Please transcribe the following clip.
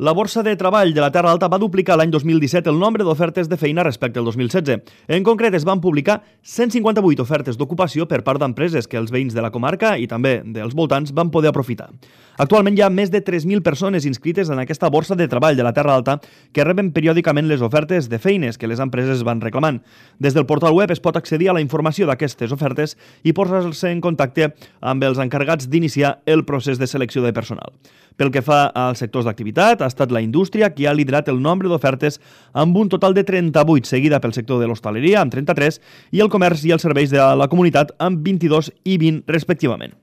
La Borsa de Treball de la Terra Alta va duplicar l'any 2017 el nombre d'ofertes de feina respecte al 2016. En concret, es van publicar 158 ofertes d'ocupació per part d'empreses que els veïns de la comarca i també dels voltants van poder aprofitar. Actualment hi ha més de 3.000 persones inscrites en aquesta Borsa de Treball de la Terra Alta que reben periòdicament les ofertes de feines que les empreses van reclamant. Des del portal web es pot accedir a la informació d'aquestes ofertes i posar-se en contacte amb els encarregats d'iniciar el procés de selecció de personal. Pel que fa als sectors d'activitat, ha estat la indústria qui ha liderat el nombre d'ofertes amb un total de 38, seguida pel sector de l'hostaleria amb 33 i el comerç i els serveis de la comunitat amb 22 i 20 respectivament.